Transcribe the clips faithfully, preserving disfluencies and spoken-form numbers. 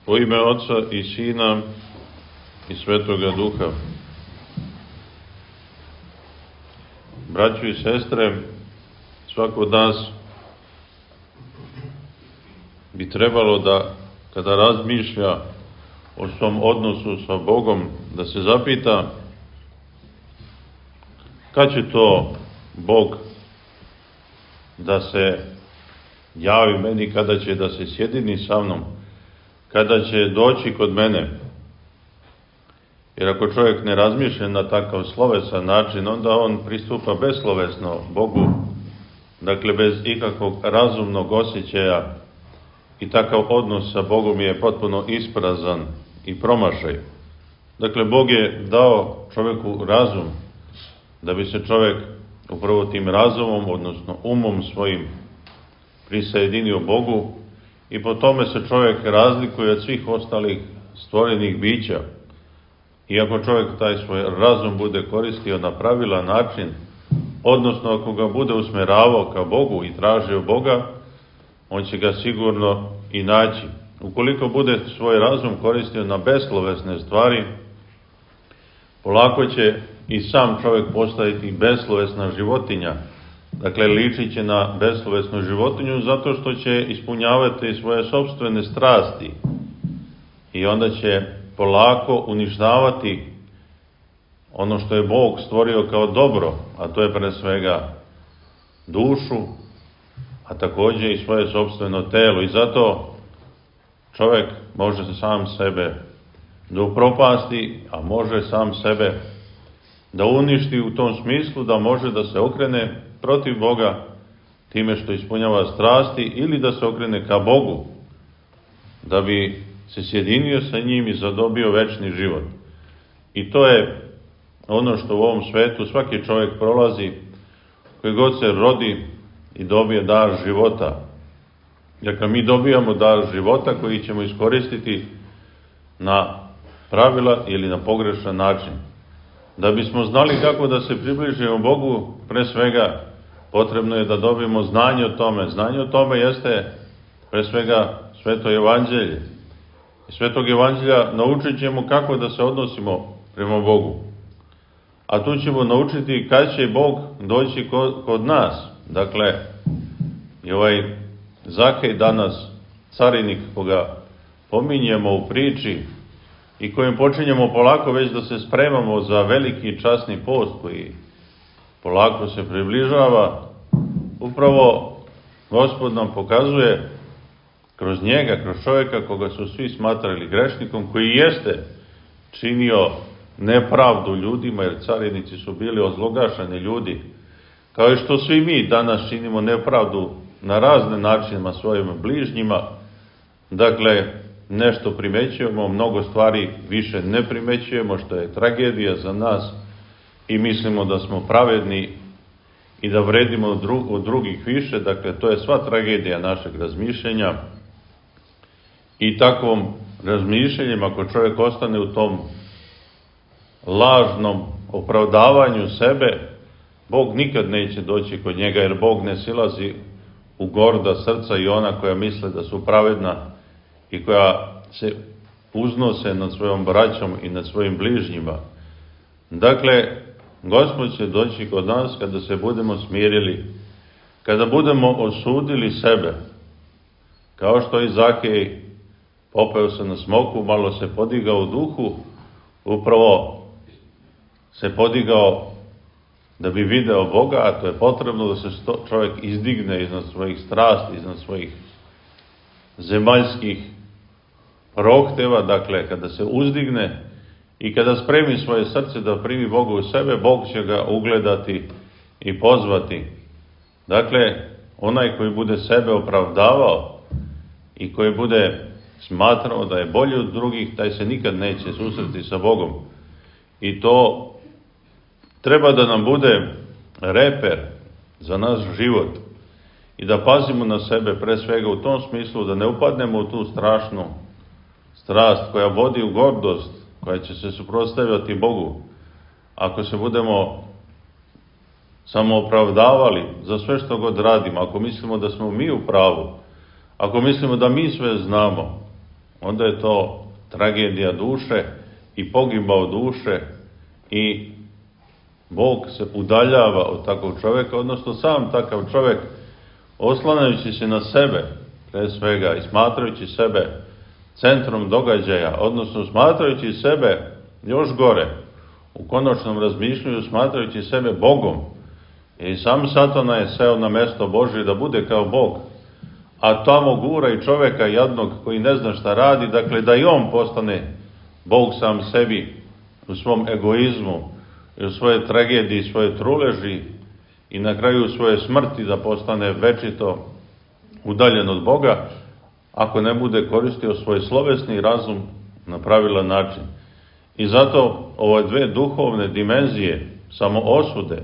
U ime Oca i Sina i Svetoga Duha. Braćo i sestre, svako od nas bi trebalo da, kada razmišlja o svom odnosu sa Bogom, da se zapita kad će to Bog da se javi meni, kada će da se sjedini sa mnom, kada će doći kod mene. Jer ako čovjek ne razmišlja na takav slovesan način, onda on pristupa beslovesno Bogu, dakle bez ikakvog razumnog osjećaja, i takav odnos sa Bogom je potpuno isprazan i promašaj. Dakle, Bog je dao čovjeku razum, da bi se čovjek upravo tim razumom, odnosno umom svojim, prisajedinio Bogu, i po tome se čovjek razlikuje od svih ostalih stvorenih bića. I ako čovjek taj svoj razum bude koristio na pravilan način, odnosno ako ga bude usmeravao ka Bogu i tražio Boga, on će ga sigurno i naći. Ukoliko bude svoj razum koristio na beslovesne stvari, polako će i sam čovjek postaviti beslovesna životinja. Dakle, ličit će na beslovesnu životinju zato što će ispunjavati svoje sopstvene strasti i onda će polako uništavati ono što je Bog stvorio kao dobro, a to je pre svega dušu, a također i svoje sopstveno telo. I zato čovjek može sam sebe da upropasti, a može sam sebe da uništi u tom smislu da može da se okrene protiv Boga time što ispunjava strasti, ili da se okrene ka Bogu da bi se sjedinio sa njim i zadobio večni život. I to je ono što u ovom svetu svaki čovjek prolazi, koji god se rodi i dobije dar života. Dakle, mi dobijamo dar života koji ćemo iskoristiti na pravila ili na pogrešan način. Da bismo znali kako da se približimo Bogu, pre svega potrebno je da dobijemo znanje o tome. Znanje o tome jeste pre svega Sveto evanđelje. Iz Svetog evanđelja naučit ćemo kako da se odnosimo prema Bogu. A tu ćemo naučiti kad će Bog doći kod, kod nas. Dakle, i ovaj Zakej danas, carinik koga pominjemo u priči i kojim počinjemo polako već da se spremamo za veliki časni post koji polako se približava, upravo Gospod nam pokazuje kroz njega, kroz čovjeka koga su svi smatrali grešnikom, koji jeste činio nepravdu ljudima, jer carinici su bili ozlogašeni ljudi, kao i što svi mi danas činimo nepravdu na razne načinima svojim bližnjima. Dakle, nešto primećujemo, mnogo stvari više ne primećujemo, što je tragedija za nas, i mislimo da smo pravedni i da vredimo od, dru, od drugih više. Dakle, to je sva tragedija našeg razmišljenja. I takvom razmišljanjem, ako čovjek ostane u tom lažnom opravdavanju sebe, Bog nikad neće doći kod njega, jer Bog ne silazi u gorda srca i ona koja misle da su pravedna i koja se uznose nad svojom braćom i nad svojim bližnjima. Dakle, Gospod će doći kod nas kada se budemo smirili, kada budemo osudili sebe, kao što i Zakej popeo se na smoku, malo se podigao u duhu, upravo se podigao da bi video Boga, a to je potrebno da se čovjek izdigne iznad svojih strasti, iznad svojih zemaljskih prohteva. Dakle, kada se uzdigne i kada spremi svoje srce da primi Boga u sebe, Bog će ga ugledati i pozvati. Dakle, onaj koji bude sebe opravdavao i koji bude smatrao da je bolji od drugih, taj se nikad neće susreti sa Bogom. I to treba da nam bude reper za naš život i da pazimo na sebe pre svega u tom smislu da ne upadnemo u tu strašnu strast koja vodi u gordost, koja će se suprotstavljati Bogu. Ako se budemo samo opravdavali za sve što god radimo, ako mislimo da smo mi u pravu, ako mislimo da mi sve znamo, onda je to tragedija duše i pogibao duše i Bog se udaljava od takvog čovjeka, odnosno sam takav čovjek, oslanjajući se na sebe, pre svega, i smatrajući sebe centrom događaja, odnosno smatrajući sebe još gore, u konačnom razmišljanju smatrajući sebe Bogom, i sam Satana je seo na mesto Božje da bude kao Bog, a tamo gura i čovjeka jadnog koji ne zna šta radi, dakle da i on postane Bog sam sebi u svom egoizmu i u svoje tragediji, svoje truleži i na kraju svoje smrti da postane večito udaljen od Boga, ako ne bude koristio svoj slovesni razum na pravilan način. I zato ove dve duhovne dimenzije samoosude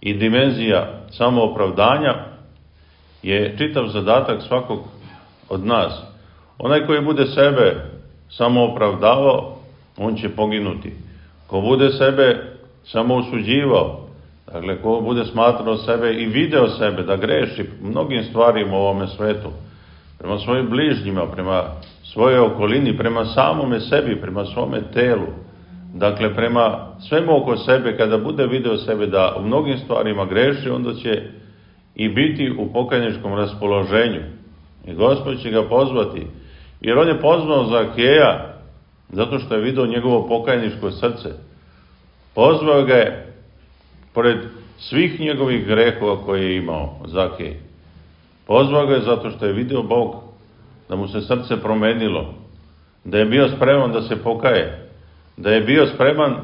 i dimenzija samoopravdanja je čitav zadatak svakog od nas. Onaj koji bude sebe samoopravdavao, on će poginuti. Ko bude sebe samoosuđivao, dakle ko bude smatrao sebe i video sebe da greši mnogim stvarima u ovome svetu, prema svojim bližnjima, prema svojoj okolini, prema samome sebi, prema svome telu, dakle prema svemu oko sebe, kada bude video sebe da u mnogim stvarima greši, onda će i biti u pokajničkom raspoloženju. I Gospod će ga pozvati, jer on je pozvao Zakeja zato što je video njegovo pokajničko srce. Pozvao ga je pored svih njegovih grehova koje je imao Zakej. Pozvao ga je zato što je video Bog, da mu se srce promenilo, da je bio spreman da se pokaje, da je bio spreman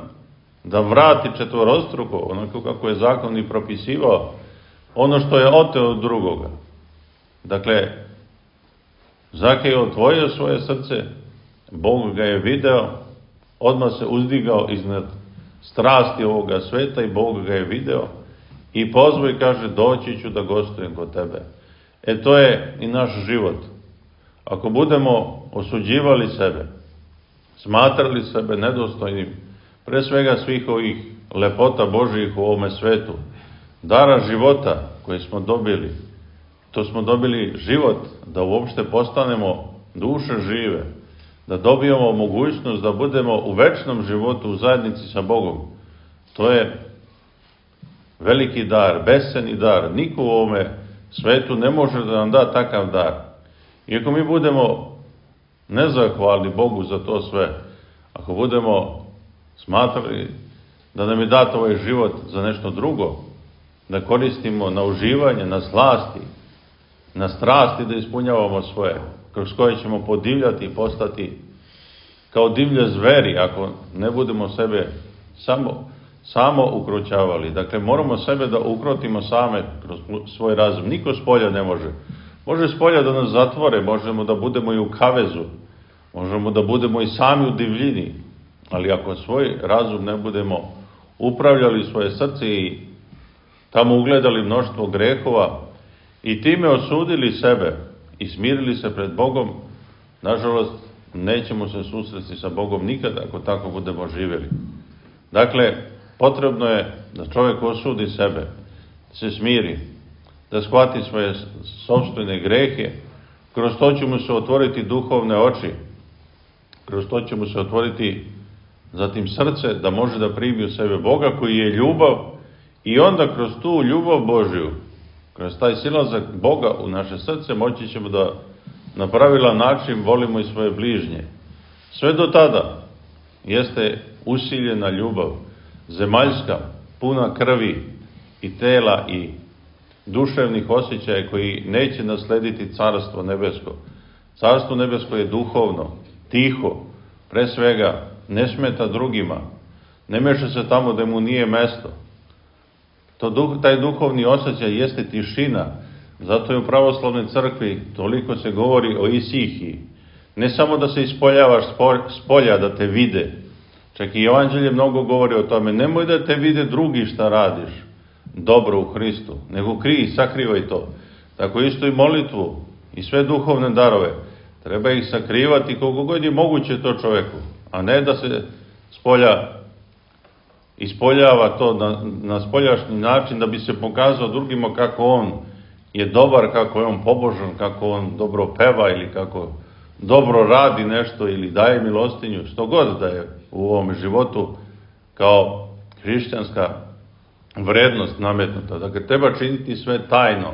da vrati četvorostruko, onako kako je zakon i propisivao, ono što je oteo od drugoga. Dakle, Zakej je otvorio svoje srce, Bog ga je video, odmah se uzdigao iznad strasti ovoga sveta i Bog ga je video i pozvao i kaže: doći ću da gostujem kod tebe. E to je i naš život. Ako budemo osuđivali sebe, smatrali sebe nedostojnim, pre svega svih ovih lepota Božjih u ovome svetu, dara života koji smo dobili, to smo dobili život da uopšte postanemo duše žive, da dobijemo mogućnost da budemo u večnom životu u zajednici sa Bogom. To je veliki dar, besceni dar. Niko u ovome svetu ne može da nam da takav dar. Iako mi budemo nezahvalni Bogu za to sve, ako budemo smatrali da nam je dat ovaj život za nešto drugo, da koristimo na uživanje, na slasti, na strasti da ispunjavamo svoje, kroz koje ćemo podivljati i postati kao divlje zveri, ako ne budemo sebe samo, samo ukroćavali. Dakle, moramo sebe da ukrotimo same kroz svoj razum. Niko s polja ne može. Može s polja da nas zatvore, možemo da budemo i u kavezu, možemo da budemo i sami u divljini, ali ako svoj razum ne budemo upravljali svoje srce i tamo ugledali mnoštvo grehova i time osudili sebe i smirili se pred Bogom, nažalost, nećemo se susresti sa Bogom nikada ako tako budemo živjeli. Dakle, potrebno je da čovjek osudi sebe, da se smiri, da shvati svoje sopstvene grehe, kroz to će mu se otvoriti duhovne oči, kroz to će mu se otvoriti zatim srce, da može da primi u sebe Boga koji je ljubav, i onda kroz tu ljubav Božju, kroz taj silazak Boga u naše srce, moći ćemo da na pravilan način volimo i svoje bližnje. Sve do tada jeste usiljena ljubav, zemaljska, puna krvi i tela i duševnih osjećaja koji neće naslediti Carstvo nebesko. Carstvo nebesko je duhovno, tiho, pre svega ne smeta drugima, ne meša se tamo da mu nije mesto. To duh, taj duhovni osjećaj jeste tišina, zato je u pravoslavnoj crkvi toliko se govori o isihiji. Ne samo da se ispoljavaš s polja da te vide, čak i Evanđelje mnogo govori o tome, nemoj da te vide drugi šta radiš dobro u Hristu, nego krij, sakrivaj to. Tako isto i molitvu i sve duhovne darove, treba ih sakrivati koliko god je moguće to čoveku, a ne da se spolja ispoljava to na, na spoljašnji način da bi se pokazao drugima kako on je dobar, kako je on pobožan, kako on dobro peva ili kako dobro radi nešto ili daje milostinju, što god da je u ovom životu kao hrišćanska vrednost nametnuta. Dakle, treba činiti sve tajno.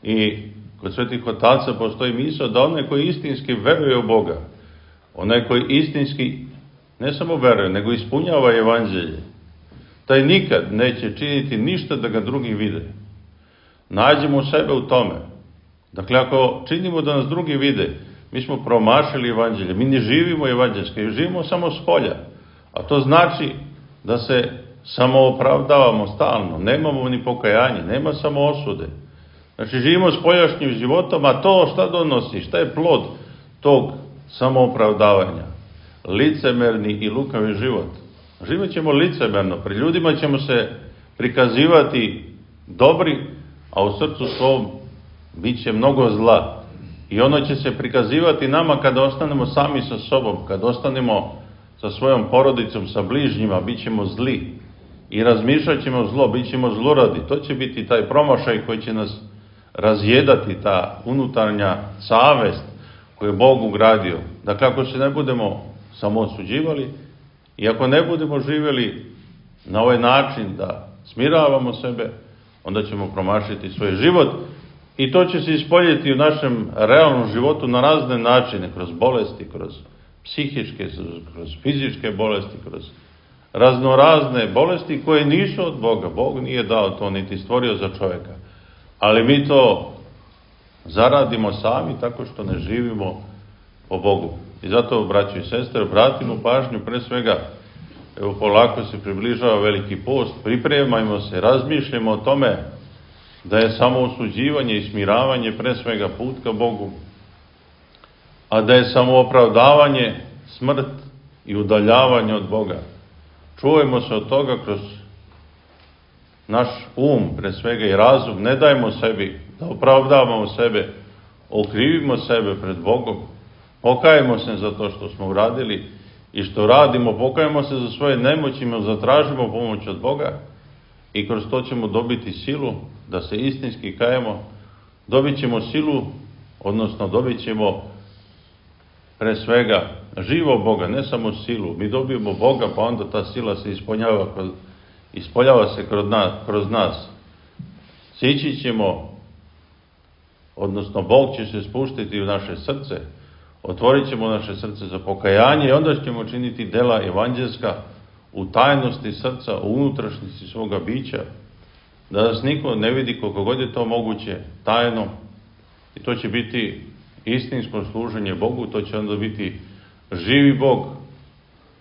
I kod svetih otaca postoji misao da onaj koji istinski veruje u Boga, onaj koji istinski ne samo veruje, nego ispunjava evanđelje, taj nikad neće činiti ništa da ga drugi vide. Nađemo sebe u tome. Dakle, ako činimo da nas drugi vide, mi smo promašili evanđelje, mi ne živimo evanđelski, živimo samo s polja. A to znači da se samo opravdavamo stalno, nemamo ni pokajanje, nema samo osude. Znači, živimo spoljašnjim životom, a to šta donosi, šta je plod tog samoopravdavanja? Licemerni i lukavi život. Živjet ćemo licemerno, pred ljudima ćemo se prikazivati dobri, a u srcu svom bit će mnogo zla. I ono će se prikazivati nama kada ostanemo sami sa sobom, kada ostanemo sa svojom porodicom, sa bližnjima, bit ćemo zli. I razmišljat ćemo zlo, bit ćemo zluradi. To će biti taj promašaj koji će nas razjedati, ta unutarnja savest koju je Bog ugradio. Dakle, ako se ne budemo samo osuđivali i ako ne budemo živjeli na ovaj način da smiravamo sebe, onda ćemo promašiti svoj život i to će se ispoljiti u našem realnom životu na razne načine, kroz bolesti, kroz psihičke, kroz fizičke bolesti, kroz raznorazne bolesti koje nisu od Boga. Bog nije dao to, niti stvorio za čovjeka. Ali mi to zaradimo sami tako što ne živimo po Bogu. I zato, braćo i sestre, obratimo pažnju pre svega, evo polako se približava Veliki post, pripremajmo se, razmišljamo o tome da je samo osuđivanje i smiravanje pre svega put ka Bogu, a da je samo opravdavanje smrt i udaljavanje od Boga. Čuvajmo se od toga kroz naš um, pre svega i razum, ne dajmo sebi da opravdavamo sebe, okrivimo sebe pred Bogom, pokajemo se za to što smo uradili i što radimo, pokajemo se za svoje nemoćima, zatražimo pomoć od Boga i kroz to ćemo dobiti silu da se istinski kajemo, dobit ćemo silu, odnosno dobit ćemo pre svega živo Boga, ne samo silu. Mi dobijemo Boga, pa onda ta sila se ispoljava, ispoljava se kroz nas, kroz nas. Sići ćemo, odnosno Bog će se spuštiti u naše srce, otvorit ćemo naše srce za pokajanje i onda ćemo činiti dela evanđelska u tajnosti srca, u unutrašnjosti svoga bića, da nas niko ne vidi koliko god je to moguće, tajno, i to će biti istinsko služenje Bogu, to će onda biti živi Bog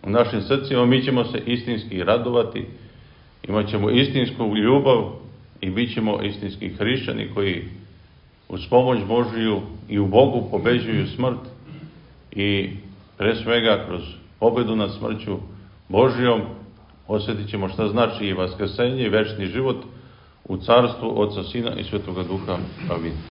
u našim srcima, mi ćemo se istinski radovati, imat ćemo istinsku ljubav i bit ćemo istinski hrišćani koji uz pomoć Božiju i u Bogu pobeđuju smrt i pre svega kroz pobedu nad smrću Božijom osjetit ćemo šta znači i vaskrsenje i večni život u carstvu Oca, Sina i Svetoga Duha. Amin.